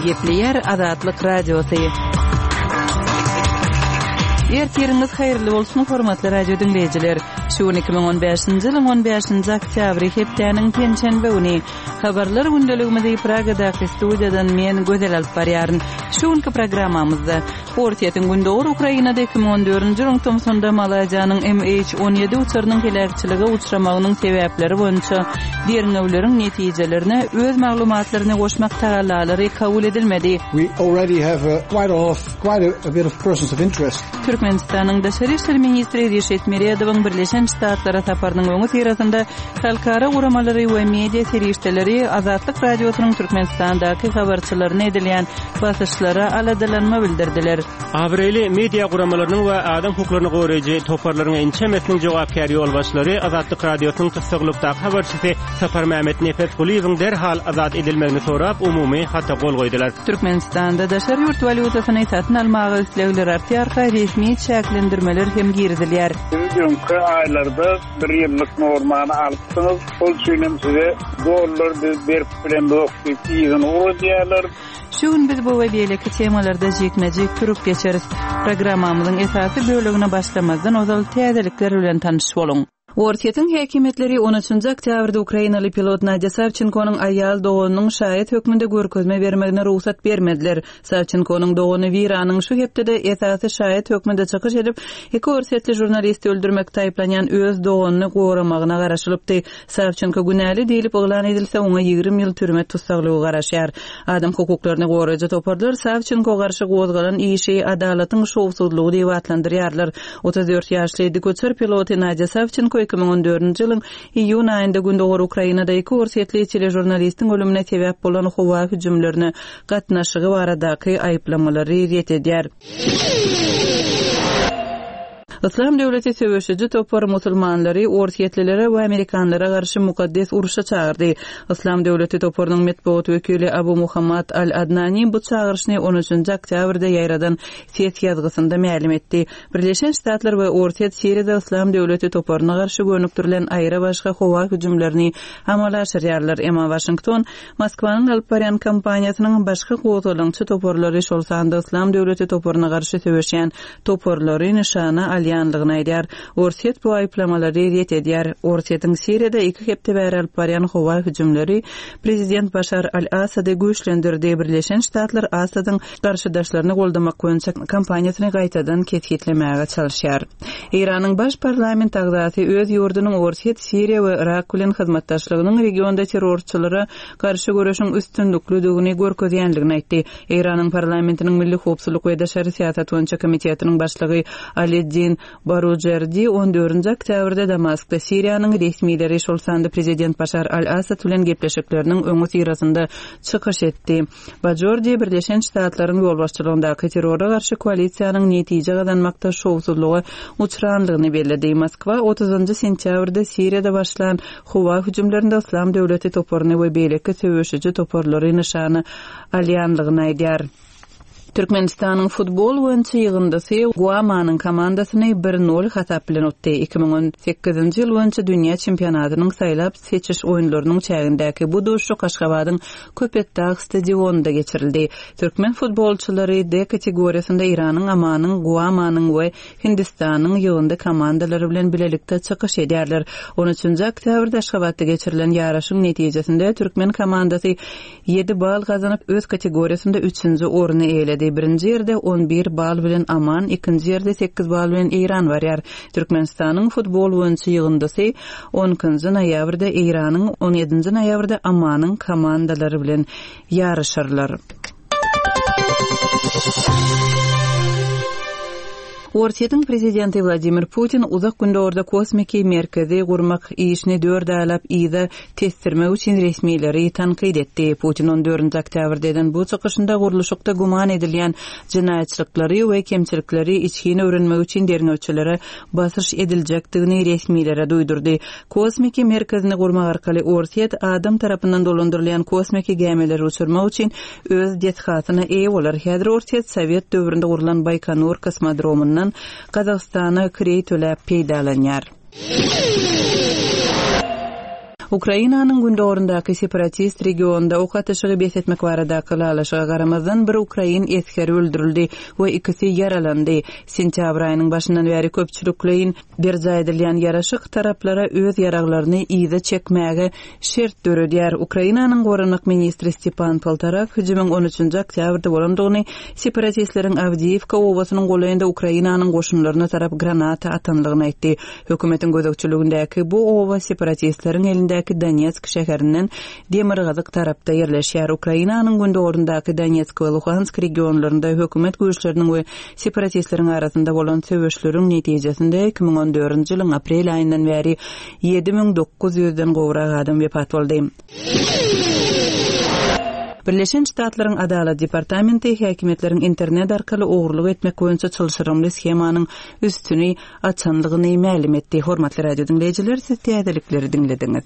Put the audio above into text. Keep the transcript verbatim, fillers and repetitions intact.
Gepleýär Azatlyk Radiosy. Ertiriňiz haýyrly bolsun, hormatly radio diňleýjiler. Şu gün iki müň on bäşinji ýylyň on bäşinji oktýabry, hepdäniň penşenbe güni. Habarlar gündeligimizi Pragadaky studiýadan men Gözel alyp barýaryn. Şu günki programmamyzda Orsýetiň Gündogar Ukrainada iki müň on dördünji ýylyň tomsunda Malaýziýanyň M H on ýedi uçarynyň heläkçilige uçramagynyň sebäpleri boýunça derňewleriň netijelerine öz maglumatlaryny goşmak tagallalary kabul edilmedi. We already have a, quite a lot of, quite a, a bit of persons of interest. Türkmenistanyň Daşary işler ministri Reşit Meredowyň Birleşen Ştatlara saparynyň öňüsyrasynda halkara guramalary we media serişdeleri Azatlyk Radiosynyň Türkmenistandaky habarçylaryna edilýän basyşlara aladalanma bildirdiler. Abraýly media guramalarynyň we adam hukuklaryny goraýjy toparlaryň ençemesiniň jogapkär ýolbaşçylary Azatlyk Radiosynyň tussaglykdaky habarçysy Saparmämmet Nepesgulyýewiň derhal azat edilmegini sorap umumy hata gol goýdular. Türkmenistanda daşary ýurt walýutasyny satyn almaga islegler artýarka resmi çäklendirmeler hem girizilýär. Siz öňki aýlarda bir ýyllyk normany alypsyňyz, şol üçin hem size dollar biz berip bilen ýok diýip ýygyny uradýarlar. Şu gün biz bu we beýleki temalarda jikme-jik durup geçeris. Programmamyzyň esasy bölegine başlamazdan ozal täzelikler bilen tanyş boluň. Orsýetiň häkimiýetleri on üçünji oktýabrda Ukrainaly pilot Nadya Savçenkonyň aýal doganynyň şaýat hökmünde görkezme bermegine rugsat bermediler. Savçenkonyň dogany Wiranyň şu hepdede esasy şaýat hökmünde çykyş edip, iki orsýetli žurnalisti öldürmekde aýyplanýan öz doganyny goramagyna garaşylypdy. Savçenko günäli diýlip yglan edilse, oňa ýigrimi ýyl türme tussaglygy garaşýar. Adam hukuklaryny goraýjy toparlar Savçenko garşy gozgalan işi adalatyň şowsuzlygy diýip atlandyrýarlar. Otuz dört ýaşly dikuçar piloty Nadya Savçenko iki müň on dördünji ýylyň iýun aýynda Gündogar Ukrainada iki orsýetli teležurnalistiň ölümine sebäp bolan howa hüjümlerine gatnaşygy baradaky aýyplamalary ret edýär. Islam döwleti söweşiji topar musulmanlary orsýetlilere we amerikanlara garşy mukaddes uruşa çagyrdy. Islam döwleti toparynyň metbugat wekili Abu Muhammad Al-Adnani bu çagyryşyny on üçünji oktýabrda ýaýradan ses ýazgysynda mälim etdi. Birleşen Ştatlar we Orsýet Siriýada Islam döwleti toparyna garşy gönükdirilen aýry başga howa hüjümlerini amala aşyrýarlar. Emma Washington Moskwanyň alyp barýan kampaniýasynyň başga gozgalaňçy toparlary, şol sanda Islam döwleti toparyna garşy söweşýän toparlary nyşana alýanlygyny aýdýar. Orsýet bu aýyplamalary ret edýär. Orsýetiň Siriýada iki hepde bäri alyp barýan howa hüjümleri Prezident Başar al-Asady güýçlendirdi. Birleşen Ştatlar Asadyň garşydaşlaryny goldamak boýunça kampaniýasyny gaýtadan kesgitlemäge çalyşýar. Eýranyň baş parlament agzasy öz ýurdunyň Orsýet, Siriýa we Irak bilen hyzmatdaşlygynyň regionda terrorçylara garşy göreşiň üstünliklidigini görkezýänligini aýtdy. Eýranyň parlamentiniň Milli Howpsuzlyk we Daşary Syýasat boýunça komitetiniň başlygy Aliddin Barujerdi on dördünji oktýabrda Damaskda Siriýanyň resmileri, şol sanda Prezident Başar al-Asad bilen gepleşikleriniň öňüsyrasynda çykyş etdi. Bajordi Birleşen Ştatlaryň ýolbaşçylygyndaky terrora garşy koalisiýanyň netije gazanmakda şowsuzlyga uçranlygyny belledi. Moskwa otuzynjy sentýabrda Siriýada başlan howa hüjümlerinde Islam döwleti toparyny we beýleki söweşiji toparlary nyşana alýanlygyny aýdýar. Türkmenistanyň futbol boýunça ýygyndysy Guamanyň komandasyny bir nol hasap bilen utdy. Iki müň on sekizinji ýyl boýunça dünýä çempionatynyň saýlap seçiş oýunlarynyň çägindäki bu duşuşyk Aşgabadyň Köpetdag stadionynda geçirildi. Türkmen futbolçylary D kategoriýasynda Eýranyň, Amanyň, Guamanyň we Hindistanyň ýygyndy komandalary bilen bilelikde çykyş edýärler. On üçünji oktýabrda Aşgabatda geçirilen ýaryşyň netijesinde türkmen komandasy ýedi bal gazanyp öz kategoriýasynda üçünji orny eýeledi. Birinji ýerde on bir bal bilen Aman, ikinji ýerde sekiz bal bilen Eýran barýar. Türkmenistanyň futbol boýunça ýygyndysy on ikinji noýabrda Eýranyň, on ýedinji noýabrda Amanyň komandalary bilen ýaryşarlar. Orsýetiň prezidenti Wladimir Putin uzak gündogarda kosmiki merkezi gurmak işini dört aýlap yza testirmek üçin resmileri tankyt etdi. Putin on dördünji oktýabrda eden bu çykyşynda gurluşykda güman edilýän jenaýatçylyklary we kemçilikleri içgin öwrenmek üçin derňewçilere basyş ediljekdigini resmilere duýdurdy. Kosmiki merkezini gurmak arkaly Orsýet adam tarapyndan dolandyrylýan kosmiki gämileri uçurmak üçin öz desgasyna eýe bolar. Häzir Orsýet Sowet döwründe gurlan Baýkonur kosmodromyndan Gazagystana kireý töläp peýdalanýar. Ukrainanyň gündogaryndaky separatist regionda ok atyşygy bes etmek baradaky ylalaşyga garamazdan, bir ukrain esgeri öldürildi we ikisi ýaralandy. Sentýabr aýynyň başyndan bäri köpçülikleýin berjaý edilýän ýaraşyk taraplara öz ýaraglaryny yza çekmäge şert döredýär. Ukrainanyň goranmak ministri Stepan Poltorak hüjümiň on üçünji oktýabrda bolandygyny, separatistleriň Awdiýiwka obasynyň golaýynda Ukrainanyň goşunlaryna tarap granata atanlygyny aýtdy. Hökümetiň gözegçiligindäki bu oba separatistleriň elindäki Donetsk şäherinden demirgazyk tarapda ýerleşýär. Ukrainanyň gündogaryndaky Donetsk we Luhansk regionlarynda hökümet güýçleriniň we separatistleriň arasynda bolan söweşleriň netijesinde iki müň on dördünji ýylyň aprel aýyndan bäri ýedi müň dokuz ýüzden gowrak adam wepat boldy. Birleşen Ştatlaryň Adalat departamenti häkimiýetleriň internet arkaly ogurlyk etmek boýunça çylşyrymly shemanyň üstüni açanlygyny mälim etdi. Hormatly radio diňleýjiler, siz täzelikleri diňlediňiz.